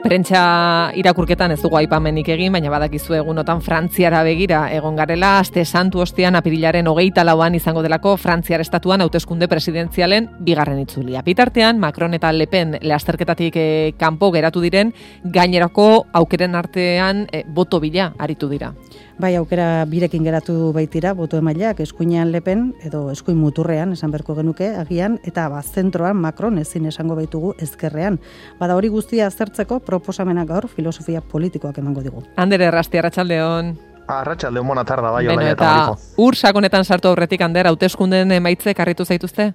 Prentsa irakurketan ez dugu aipamenik egin, baina badakizu egunotan Frantziara begira egon garela, aste santu ostean apirilaren 24an izango delako Frantziar estatuan hauteskunde presidentzialen bigarren itzulia. Bitartean, Macron eta Le Pen lasterketatik kanpo geratu diren, gainerako aukeren artean boto bila aritu dira. Bai, aukera birekin geratu baitira, boto emaileak, eskuinean Le Pen, edo eskuin muturrean, esan berko genuke, agian, eta zentroan Macron ezin esango baitugu ezkerrean. Bada hori guztia aztertzeko proposamenak gaur filosofia politikoak emango digu. Ander Errasti, arratsaldeon. Arratsaldeon, bona tarda, bai, Beno, eta ur sakonetan sartu aurretik, Ander, hauteskundeen emaitzek harritu zaituzte?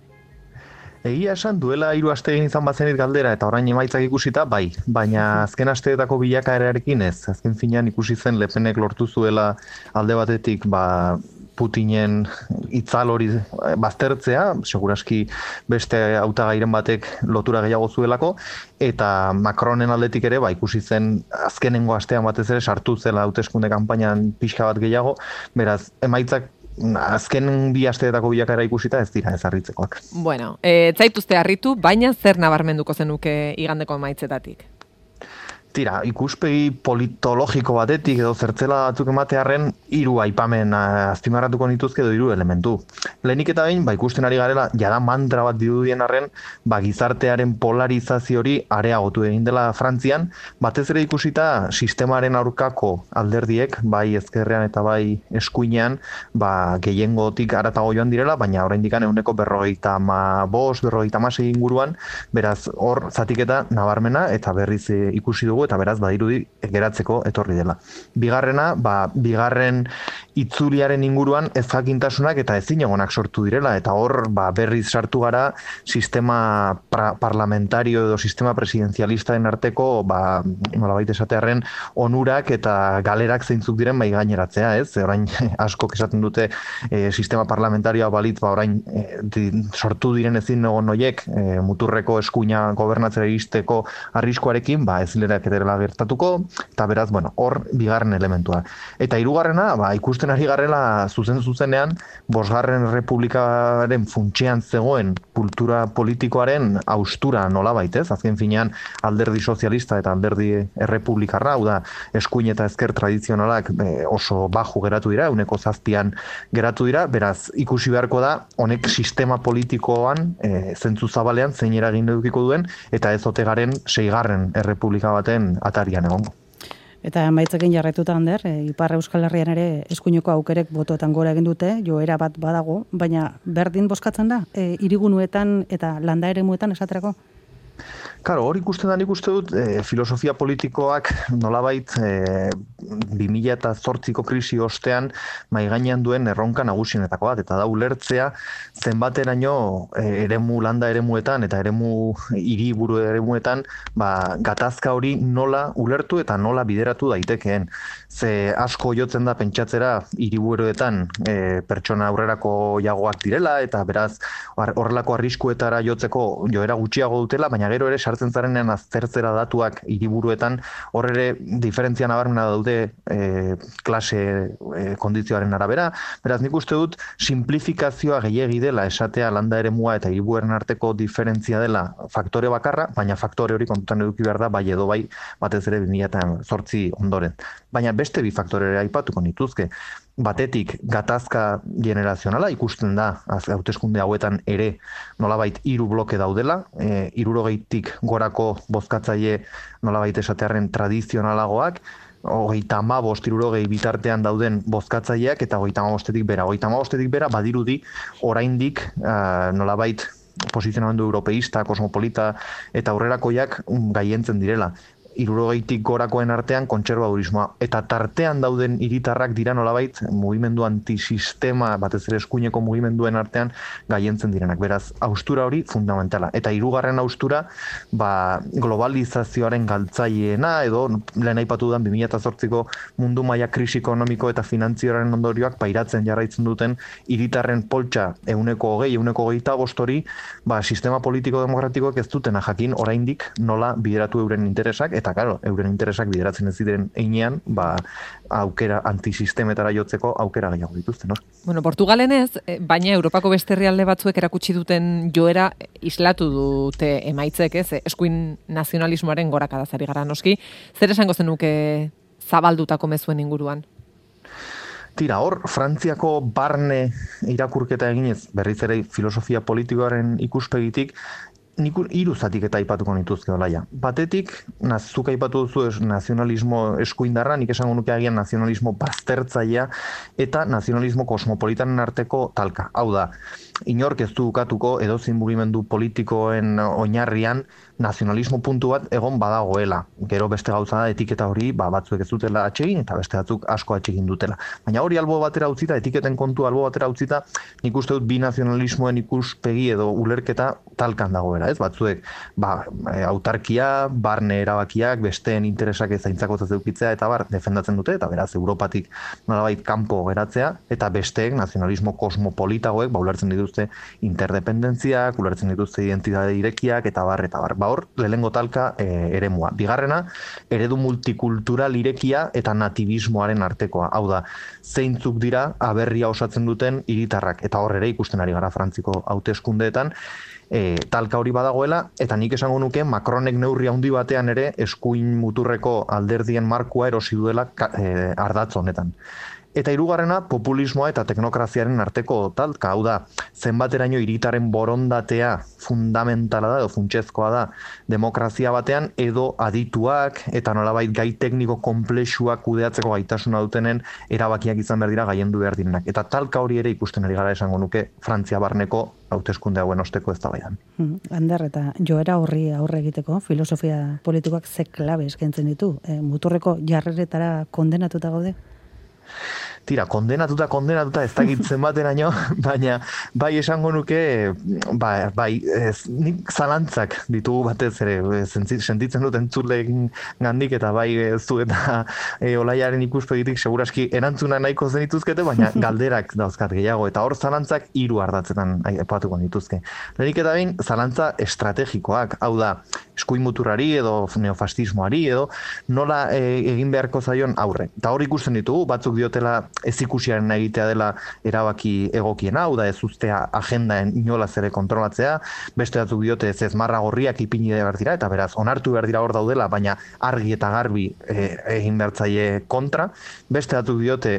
Egia esan, duela 3 aste egin izan bazenit galdera eta orain emaitzak ikusita, bai. Baina azken asteetako bilakaerarekin ez. Azken finean ikusi zen Le Penek lortu zuela alde batetik, Putinen itzal hori baztertzea, seguraski beste hautagairen batek lotura gehiago zuelako, eta Macronen aldetik ere, ikusi zen azkenengo astean batez ere sartu zela hauteskunde kanpainan pixka bat gehiago, beraz, emaitzak azken 2 asteetako bilakaera ikusita ez dira ez harritzekoak. Bueno, zaituzte harritu, baina zer nabarmenduko zenuke igandeko emaitzetatik? Tira, ikuspegi politologiko batetik edo zertzela batzuk ematearren 3 aipamen azpimarratuko nituzke edo 3 elementu. Lehenik eta behin, ikusten ari garela, jada mantra bat dirudien arren, gizartearen polarizazio hori areagotu egin dela Frantzian, batez ere ikusita sistemaren aurkako alderdiek, bai ezkerrean eta bai eskuinean, gehiengotik haratago joan direla, baina oraindik 45-46 inguruan, beraz hor zatiketa nabarmena eta berriz ikusi dugu eta beraz badirudi geratzeko etorri dela. Bigarrena, bigarren itzuliaren inguruan ezjakintasunak eta ezinegonak sortu direla eta hor berriz sartu gara sistema parlamentario edo sistema presidenzialistaren arteko nolabait esatearren onurak eta galerak zeintzuk diren mai gaineratzea, ez? Orain askok esaten dute sistema parlamentarioa balitz orain sortu diren ezinegon noiek muturreko eskuina gobernatzera iristeko arriskuarekin, ez lerak dela gertatuko, eta beraz, hor bigarren elementua. Eta hirugarrena, ikusten ari garela zuzenean, 5. Errepublikaren funtsean zegoen kultura politikoaren haustura nolabait, ez? Azken finean alderdi sozialista eta alderdi errepublikarra, hau da, eskuin eta ezker tradizionalak oso baju geratu dira, 7% geratu dira, beraz, ikusi beharko da, honek sistema politikoan, zentzu zabalean, zein eragin edukiko duen, eta ez ote garen 6. Errepublika baten atarian egongo. Eta emaitzekin jarraituta, Ander, Ipar Euskal Herrian ere eskuineko aukerek botoetan gora egin dute, joera bat badago, baina berdin bozkatzen da, hiriguneetan eta landa eremuetan esaterako? Karo, hor ikusten da nik uste dut filosofia politikoak nolabait 2008ko krisi ostean maigainean duen erronka nagusienetako bat, eta da ulertzea zenbateraino landa eremuetan eta hiriburu eremuetan gatazka hori nola ulertu eta nola bideratu daitekeen. Ze asko jotzen da pentsatzera hiriburuetan pertsona aurrerako jagoak direla eta beraz horrelako arriskuetara jotzeko joera gutxiago dutela, baina gero ere sartzen zarenean aztertzera datuak hiriburuetan hor ere diferentzia nabarmena daude klase kondizioaren arabera. Beraz nik uste dut simplifikazioa gehiegi dela esatea landa eremua eta hiriburuaren arteko diferentzia dela faktore bakarra, baina faktore hori kontutan eduki behar da bai edo bai batez ere 2008 ondoren. Baina beste 2 faktore aipatuko nituzke. Batetik gatazka generazionala ikusten da hauteskunde hauetan ere nolabait 3 bloke daudela, 60tik gorako bozkatzaile nolabait esatearren tradizionalagoak, 35-60 bitartean dauden bozkatzaileak eta 35-tik bera. 35-tik bera badirudi oraindik nolabait posizionamendu europeista, kosmopolita eta aurrerakoiak gaientzen direla. 60tik gorakoen artean kontserbadurismoa. Eta tartean dauden hiritarrak dira nolabait mugimendu antisistema, batez ere eskuineko mugimenduen artean gaientzen direnak. Beraz, haustura hori fundamentala. Eta 3. haustura, globalizazioaren galtzaileena, edo lehen aipatu dudan 2008ko mundu maila krisi ekonomiko eta finantzioaren ondorioak pairatzen jarraitzen duten hiritarren poltsa 120-125 hori, sistema politiko demokratikoak ez dutena jakin oraindik nola bideratu euren interesak, eta eta claro, euren interesak bideratzen ez diren heinean, aukera antisistemetara jotzeko aukera gehiago dituzte, no? Bueno, Portugalen ez, baina Europako beste herrialde batzuek erakutsi duten joera islatu dute emaitzek, ez? Eskuin nazionalismoaren gorakadaz ari gara noski. Zer esango zenuke zabaldutako mezuen inguruan? Tira, hor, Frantziako barne irakurketa eginez, berriz ere filosofia politikoaren ikuspegitik, nik 3 zatiketa aipatuko nituzke olaia. Batetik, zuk aipatu duzu nazionalismo eskuindarra, nik esango nuke agian nazionalismo baztertzailea eta nazionalismo kosmopolitanen arteko talka. Hau da, inork ez du ukatuko edozein mugimendu politikoen oinarrian nazionalismo puntu bat egon badagoela. Gero beste gauza da etiketa hori batzuek ez dutela atsegin eta beste batzuk asko atsegin dutela. Baina hori albo batera utzita, etiketen kontu albo batera utzita, nik uste dut bi nazionalismoen ikuspegi edo ulerketa talkan dagoela, ez? Batzuek autarkia, barne erabakiak, besteen interesak zaintzakotzat edukitzea eta defendatzen dute, eta beraz Europatik nolabait kanpo geratzea, eta besteek nazionalismo kosmopolitagoek ulertzen dituzte interdependentziak, ulertzen dituzte identitate irekiak, eta bar. Hor, lehengo talka eremua. Bigarrena, eredu multikultural irekia eta nativismoaren artekoa. Hau da, zeintzuk dira aberria osatzen duten hiritarrak. Eta hor ere ikusten ari gara Frantziko hauteskundeetan, talka hori badagoela, eta nik esango nuke Macronek neurri handi batean ere eskuin muturreko alderdien markua erosi duela ardatz honetan. Eta hirugarrena, populismoa eta teknokraziaren arteko talka, hau da, zenbateraino hiritaren borondatea fundamentala da, edo funtsezkoa da, demokrazia batean, edo adituak eta nolabait gai tekniko konplexuak kudeatzeko gaitasuna dutenen erabakiak izan behar dira gaiendu behar direnak. Eta talka hori ere ikusten ari gara esango nuke Frantzia barneko hauteskunde hauen osteko eztabaidan. Ander, eta joera horri aurre egiteko, filosofia politikoak ze klabe eskaintzen ditu, muturreko jarreretara kondenatuta gaude? Tira, kondenatuta ez dakitzen bateraino, baina bai esango nuke, nik zalantzak ditugu batez ere, sentitzen dut entzuleen gandik, eta bai zu eta Olaiaren ikuspegitik seguraski erantzuna nahiko zenituzkete, baina galderak dauzkat gehiago, eta hor zalantzak 3 ardatzetan aipatuko dituzke. Lehenik eta behin, zalantza estrategikoak, hau da, eskuin muturrari edo neofastismoari edo nola egin beharko zaion aurre. Eta hor ikusten ditugu, batzuk diotela ez ikusiaren egitea dela erabaki egokiena, hau da ez ustea agendaen inolaz ere kontrolatzea, beste batzuk diote ez marra gorriak ipini behar dira, eta beraz, onartu behar dira hor daudela, baina argi eta garbi egin behartzaile kontra, beste batzuk diote,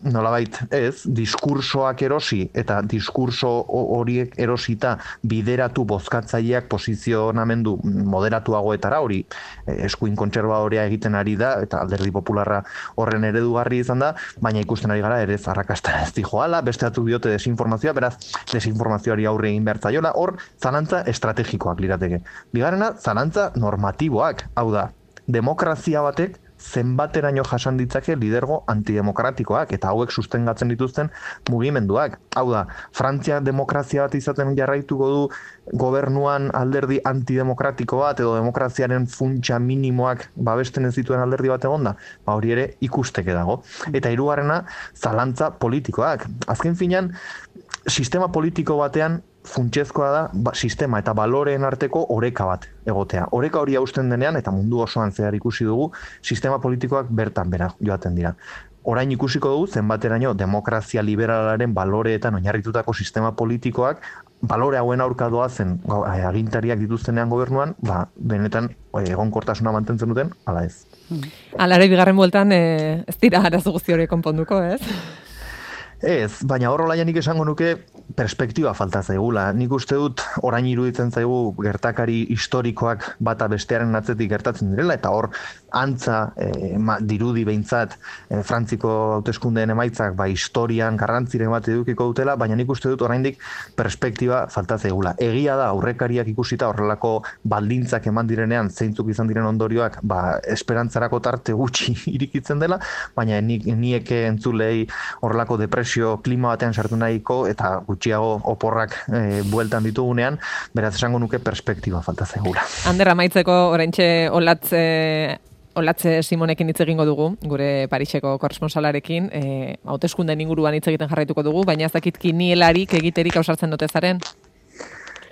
nolabait ez, diskursoak erosi, eta diskurso horiek erosita bideratu bozkatzaileak posizionamendu moderatuagoetara, hori eskuin kontserbadorea egiten ari da, eta Alderdi Popularra horren eredugarri izan da, baina ikusten ari gara ere arrakasta ez dijoala, beste batzuk diote desinformazioa, beraz desinformazioari aurre egin behar zaiola, hor zalantza estrategikoak lirateke. Bigarrena, zalantza normatiboak, hau da, demokrazia batek zenbateraino jasan ditzake lidergo antidemokratikoak eta hauek sustengatzen dituzten mugimenduak. Hau da, Frantzia demokrazia bat izaten jarraituko du gobernuan alderdi antidemokratiko bat edo demokraziaren funtsa minimoak babesten ez dituen alderdi bat egonda, hori ere ikusteke dago. Eta hirugarrena, zalantza politikoak. Azken finean, sistema politiko batean funtsezkoa da sistema eta baloreen arteko oreka bat egotea. Oreka hori hausten denean, eta mundu osoan zehar ikusi dugu, sistema politikoak bertan bera joaten dira. Orain ikusiko dugu, zenbateraino demokrazia liberalaren baloreetan oinarritutako sistema politikoak, balore hauen aurka doazen agintariak dituztenean gobernuan, benetan egonkortasuna mantentzen duten, ala ez. Alare bigarren bueltan ez dira arazo guzti hori konponduko, ez? Ez, baina hor Olaianik esango nuke perspektiba falta zaigula. Nik uste dut orain iruditzen zaigu gertakari historikoak bata bestearen atzetik gertatzen direla, eta hor antza dirudi behintzat Frantziko hauteskundeen emaitzak historian garrantziren bat edukiko dutela, baina nik uste dut oraindik perspektiba falta zaigula. Egia da aurrekariak ikusita horrelako baldintzak eman direnean zeintzuk izan diren ondorioak esperantzarako tarte gutxi irikitzen dela, baina niek entzulei horrelako depresio klima batean sartu nahiko eta gutxiago oporrak bueltan ditugunean, beraz esango nuke perspektiba falta zaigula. Ander, amaitzeko oraintxe Olatze Simonekin hitz egingo dugu, gure Pariseko korresponsalarekin, hauteskunden inguruan hitz egiten jarraituko dugu, baina ez dakit kinielarik egiterik ausartzen dute zaren?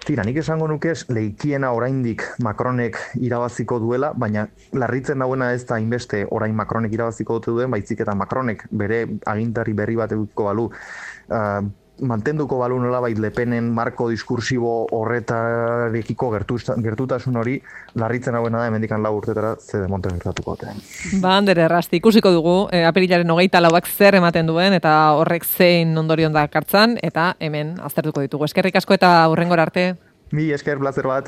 Tira, nik esango nuke leikiena oraindik Macronek irabaziko duela, baina larritzen dauena ez da hainbeste orain Macronek irabaziko duen, baizik eta Macronek bere agintari berri bat edukiko balu, mantenduko balu nolabait Le Penen marko diskursibo horretarekiko gertutasun hori, larritzen hauena da hemendikan 4 urtetara ze demonte gertatuko dute. Ba, Ander Errasti, ikusiko dugu, apirilaren 24ak zer ematen duen, eta horrek zein ondorion dakartzan, eta hemen aztertuko ditugu. Eskerrik asko eta hurrengora arte. Mi esker, plazer bat.